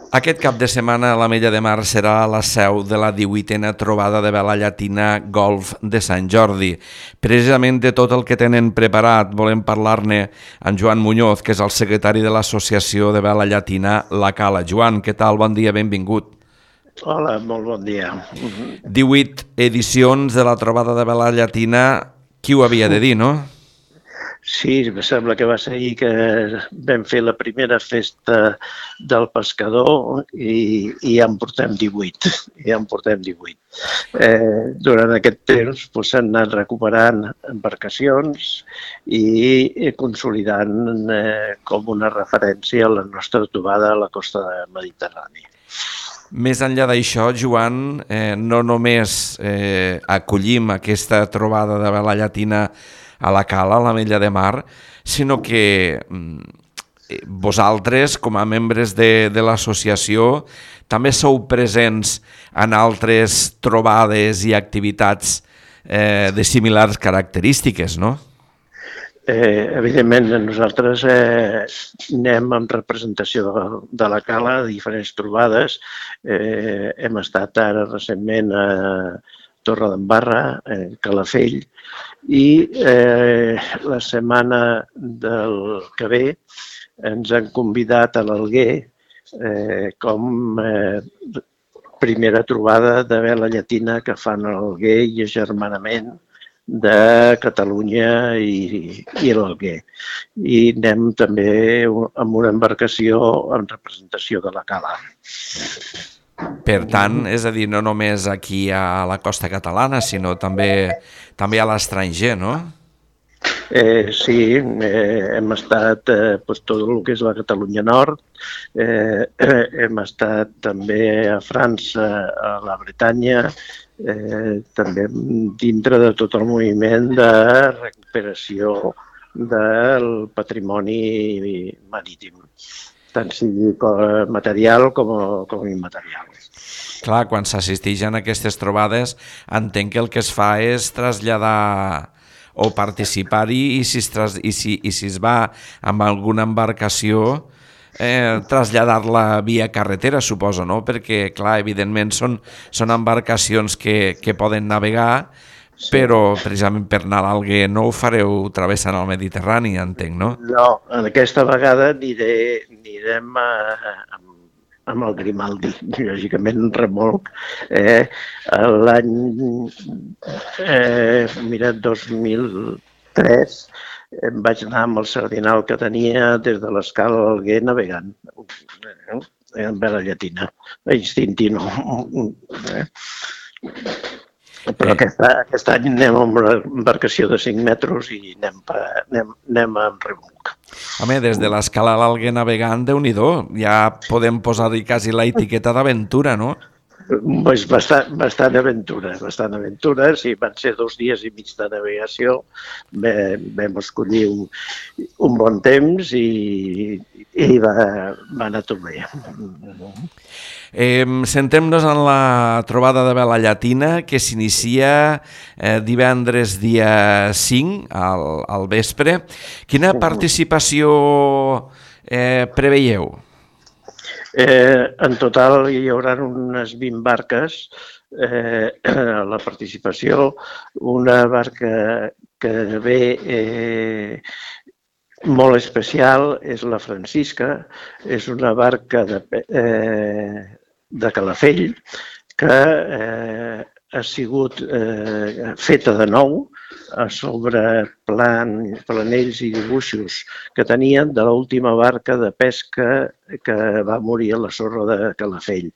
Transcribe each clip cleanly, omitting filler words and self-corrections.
Aquest cap de setmana l'Ametlla de Mar serà la seu de la 18a trobada de vela llatina Golf de Sant Jordi. Precisament de tot el que tenen preparat volem parlar-ne amb Joan Muñoz, que és el secretari de l'Associació de Vela Llatina La Cala. Joan, què tal? Bon dia, benvingut. Hola, molt bon dia. 18 edicions de la trobada de vela llatina, qui ho havia de dir, no? Sí, em sembla que va ser ahir que vam fer la primera festa del pescador i ja en portem 18. Durant aquest temps s'han anat recuperant embarcacions i consolidant com una referència a la nostra trobada a la costa mediterrània. Més enllà d'això, Joan, no només acollim aquesta trobada de vela llatina a la Cala, a l'Ametlla de Mar, sinó que vosaltres, com a membres de l'associació, també sou presents en altres trobades i activitats de similars característiques, no? Evidentment, nosaltres anem en representació de la Cala a diferents trobades. Hem estat ara recentment a Torredembarra, Calafell, i la setmana del que ve ens han convidat a l'Alguer com primera trobada de vela llatina que fan a l'Alguer i agermanament de Catalunya i l'Alguer. I anem també amb una embarcació en representació de la Cala. Per tant, és a dir, no només aquí a la costa catalana, sinó també a l'estranger, no? Sí, hem estat tot el que és la Catalunya Nord, hem estat també a França, a la Bretanya, també dintre de tot el moviment de recuperació del patrimoni marítim, tant sigui material com immaterial. Clar, quan s'assisteix a aquestes trobades, entenc que el que es fa és traslladar o participar-hi i si es va amb alguna embarcació, traslladar-la via carretera, suposo, no? Perquè, clar, evidentment són embarcacions que poden navegar, però precisament per anar a l'Alguer no ho fareu travessant el Mediterrani, entenc, no? No, aquesta vegada anirem amb el Grimaldi, lògicament un remolc. L'any 2003 vaig anar amb el sardinal que tenia des de l'Escala a l'Alguer navegant en vela llatina, instintino. Però aquest any anem amb una embarcació de 5 metres i anem amb remolc. Home, des de l'Escala a l'Alguer navegant, Déu-n'hi-do, ja podem posar-hi quasi la etiqueta d'aventura, no? Pues bastant aventura, sí, van ser 2 dies i mig de navegació, vam escollir un bon temps i va anar tot bé. Centrem-nos en la trobada de vela llatina que s'inicia divendres dia 5 al vespre. Quina participació preveieu? En total hi haurà unes 20 barques a la participació. Una barca que ve molt especial és la Francisca, és una barca de Calafell que ha sigut feta de nou sobre planells i dibuixos que tenien de l'última barca de pesca que va morir a la sorra de Calafell.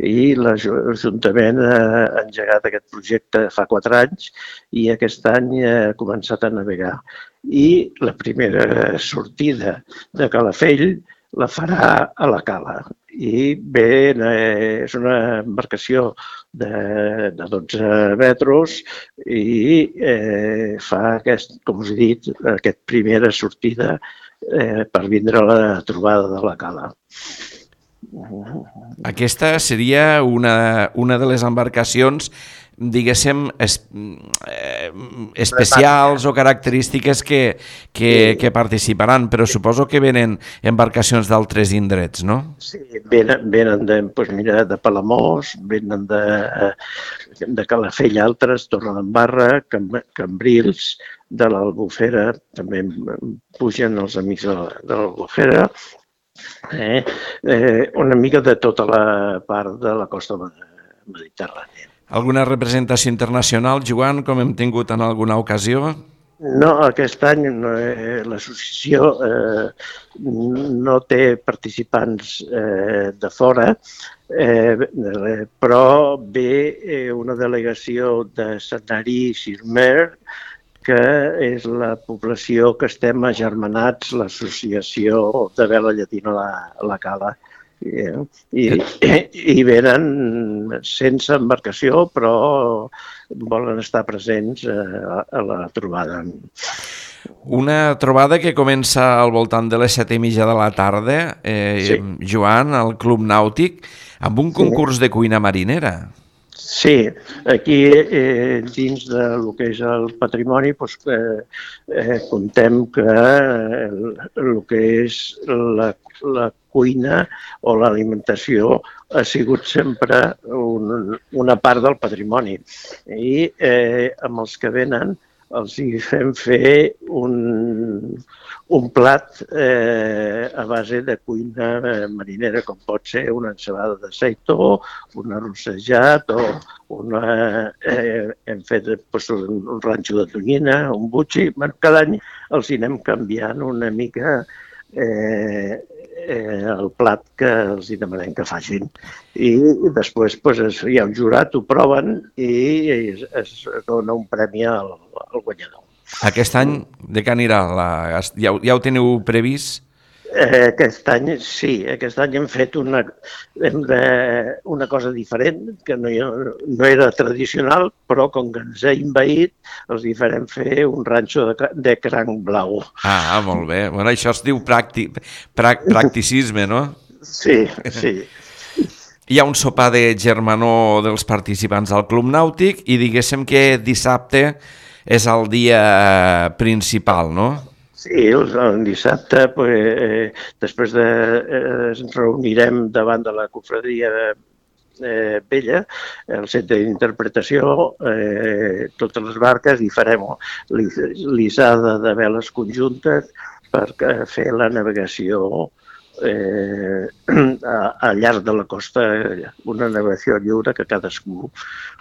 I l'Ajuntament ha engegat aquest projecte fa 4 anys i aquest any ha començat a navegar. I la primera sortida de Calafell la farà a la Cala. I bé, és una embarcació de 12 metres i fa, com us he dit, aquesta primera sortida per vindre a la trobada de la Cala. Aquesta seria una de les embarcacions, diguéssim, especials o característiques que participaran, però suposo que venen embarcacions d'altres indrets, no? Sí, venen de Palamós, venen de Calafell altres, Torredembarra, Cambrils, de l'Albufera, també pugen els amics de l'Albufera, una mica de tota la part de la costa mediterrània. Alguna representació internacional, Joan, com hem tingut en alguna ocasió? No, aquest any l'associació no té participants de fora, però ve una delegació de Sanary-sur-Mer, que és la població que estem agermanats, l'associació de vela llatina La Cala. I venen sense embarcació, però volen estar presents a la trobada. Una trobada que comença al voltant de les 7:30 de la tarda, Joan, al Club Nàutic, amb un concurs de cuina marinera. Sí, aquí dins del que és el patrimoni contem que el que és la cuina o l'alimentació ha sigut sempre una part del patrimoni i amb els que venen els hi fem fer un plat a base de cuina marinera, com pot ser una ensalada de seitó, un arrossejat o hem fet un ranxo de tonyina, un butxi. Cada any els hi anem canviant una mica el plat que els hi demanem que facin. I després hi ha un jurat, ho proven i es dona un premi al guanyador. Aquest any de què anirà? Ja ho teniu previst? Aquest any sí, aquest any hem fet una cosa diferent, que no era tradicional, però com que ens ha envaït, els hi farem fer un ranxo de cranc blau. Ah, molt bé. Bueno, això es diu practicisme, no? Sí, sí. Hi ha un sopar de germanor dels participants al Club Nàutic i diguéssim que dissabte és el dia principal, no? Sí, el dissabte, després ens reunirem davant de la cofradia vella, el centre d'interpretació, totes les barques, i farem l'issada de veles conjuntes per fer la navegació al llarg de la costa, una navegació lliure que cadascú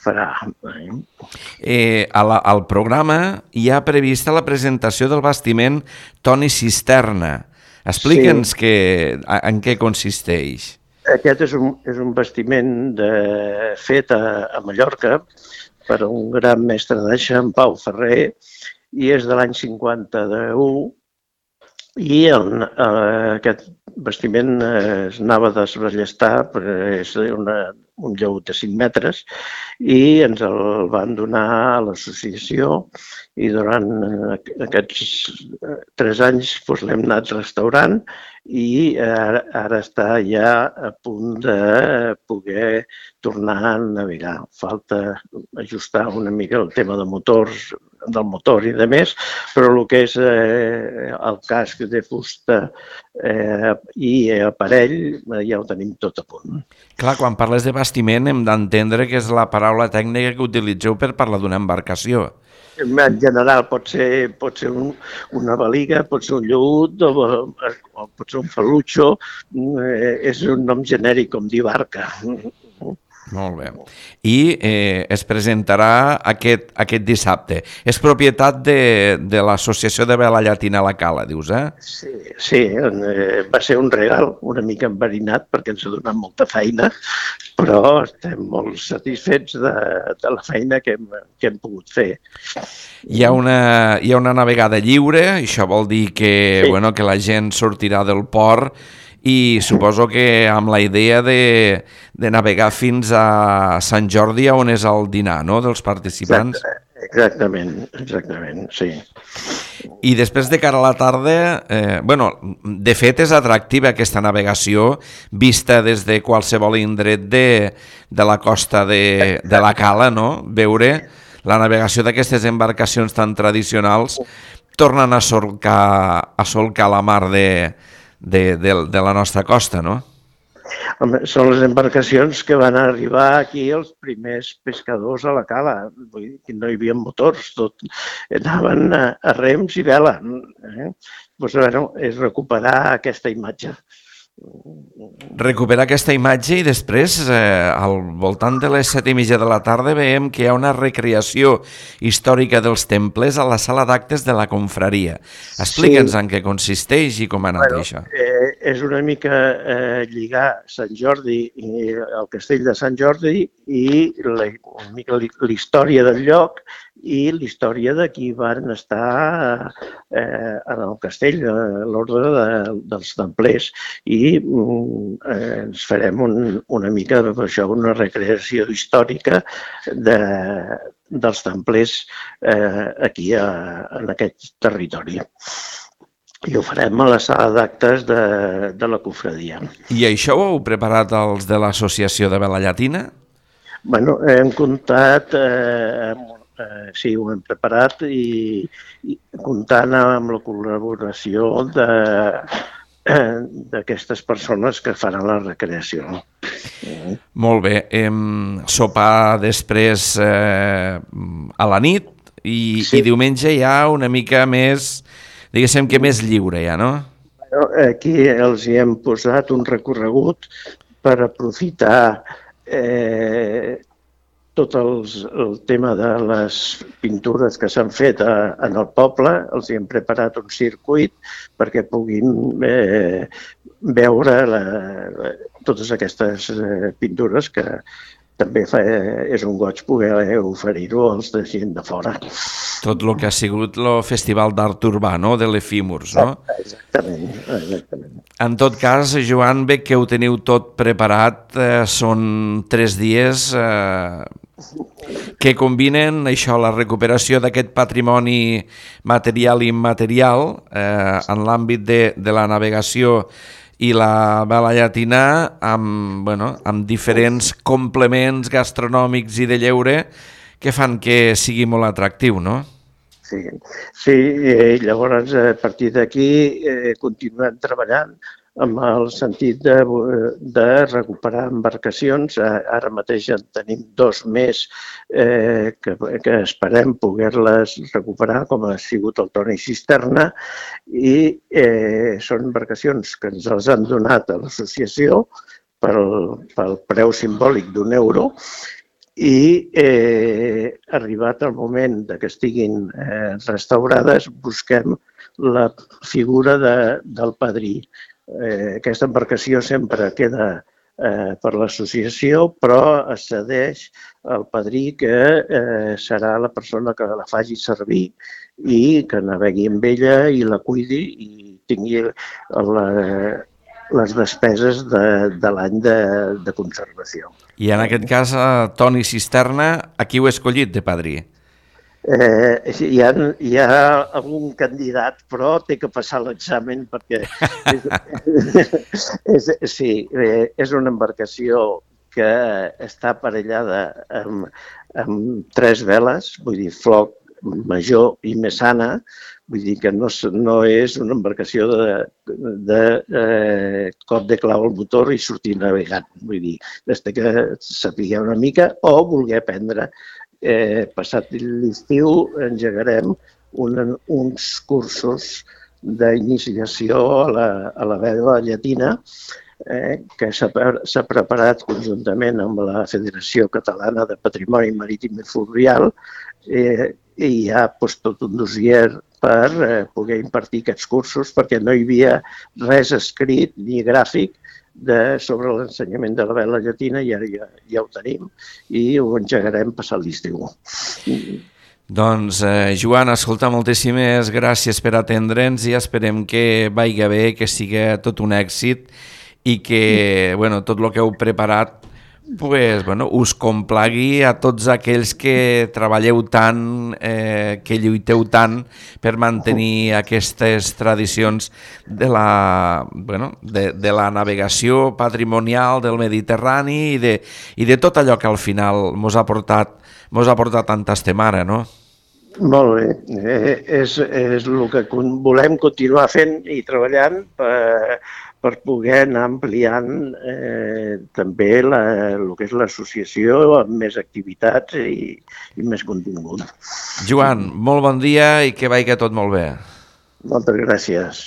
farà. Al programa hi ha prevista la presentació del bastiment Toni Cisterna. Explica'ns en què consisteix. Aquest és un bastiment fet a Mallorca per un gran mestre d'aixa, en Pau Ferrer, i és de l'any 51, i aquest bastiment es anava a desballestar, és un lleut de 5 metres, i ens el van donar a l'associació, i durant aquests 3 anys l'hem anat restaurant i ara està ja a punt de poder tornar a navegar. Falta ajustar una mica el tema del motor i de més, però el que és el casc de fusta i aparell ja ho tenim tot a punt. Clar, quan parles de bastiment hem d'entendre que és la paraula tècnica que utilitzeu per parlar d'una embarcació. En general pot ser una baliga, pot ser un lleut o pot ser un falutxo, és un nom genèric com dir barca. Molt bé. I es presentarà aquest dissabte. És propietat de l'Associació de Vela Llatina La Cala, dius, eh? Sí, va ser un regal una mica enverinat perquè ens ha donat molta feina, però estem molt satisfets de la feina que hem pogut fer. Hi ha una navegada lliure, això vol dir que la gent sortirà del port i suposo que amb la idea de navegar fins a Sant Jordi, on és el dinar, no?, dels participants. Exactament, sí. I després de cara a la tarda, de fet és atractiva aquesta navegació vista des de qualsevol indret de la costa de la Cala, no?, veure la navegació d'aquestes embarcacions tan tradicionals tornen a solcar la mar de la nostra costa, no? Home, són les embarcacions que van arribar aquí els primers pescadors a la cala. Vull dir que no hi havia motors, tot anaven a rems i vela. Doncs, bueno, és recuperar aquesta imatge. Recuperar aquesta imatge i després, al voltant de les 7:30 de la tarda, veiem que hi ha una recreació històrica dels temples a la sala d'actes de la confraria. Explica'ns en què consisteix i com ha anat això. És una mica lligar Sant Jordi i el castell de Sant Jordi i una mica la història del lloc i la història de qui van estar en el castell, l'ordre dels templers. I ens farem una mica això, una recreació històrica dels templers aquí en aquest territori. I ho farem a la sala d'actes de la confraria. I això ho heu preparat els de l'Associació de Vela Llatina? Bueno, hem comptat, sí, ho hem preparat i comptant amb la col·laboració d'aquestes persones que faran la recreació. Molt bé. Sopar després a la nit i diumenge ja una mica més, diguéssim que més lliure ja, no? Aquí els hi hem posat un recorregut per aprofitar tot el tema de les pintures que s'han fet en el poble. Els hi hem preparat un circuit perquè puguin veure totes aquestes pintures que també és un goig poder oferir-ho als de gent de fora. Tot el que ha sigut el Festival d'Art Urbà, no?, de l'Efímurs, no? Exactament. En tot cas, Joan, bé que ho teniu tot preparat, són 3 dies que combinen això, la recuperació d'aquest patrimoni material i immaterial en l'àmbit de la navegació i la vela llatina amb diferents complements gastronòmics i de lleure que fan que sigui molt atractiu, no? Sí, llavors a partir d'aquí continuem treballant amb el sentit de recuperar embarcacions. Ara mateix en tenim 2 més que esperem poder-les recuperar, com ha sigut el Toni Cisterna, i són embarcacions que ens les han donat a l'associació pel preu simbòlic d'€1 i arribat el moment que estiguin restaurades, busquem la figura del padrí. Aquesta embarcació sempre queda per l'associació, però es cedeix al padrí que serà la persona que la faci servir i que navegui amb ella i la cuidi i tingui les despeses de l'any de conservació. I en aquest cas, Toni Cisterna, a qui heu escollit de padrí? Hi ha algun candidat, però té que passar l'examen perquè és una embarcació que està aparellada amb 3 veles, vull dir, floc major i messana, vull dir que no és una embarcació de cop de clau al motor i sortir navegant. Vull dir, des que sapiguem una mica o voler aprendre. Passat l'estiu engegarem uns cursos d'iniciació a la vela llatina que s'ha preparat conjuntament amb la Federació Catalana de Patrimoni Marítim i Fluvial i hi ha tot un dossier per poder impartir aquests cursos perquè no hi havia res escrit ni gràfic sobre l'ensenyament de la vela llatina i ara ja ho tenim i ho engegarem passat l'estiu. Doncs, Joan, escolta, moltíssimes gràcies per atendre'ns i esperem que vagi bé, que sigui tot un èxit i que tot el que heu preparat pues, bueno, us complagui a tots aquells que treballeu tant, que lluiteu tant per mantenir aquestes tradicions de de la navegació patrimonial del Mediterrani i de tot allò que al final mos ha portat tant estem ara, no? Molt bé. És el que volem continuar fent i treballant per poder anar ampliant també el que és l'associació amb més activitats i més contingut. Joan, molt bon dia i que vagi tot molt bé. Moltes gràcies.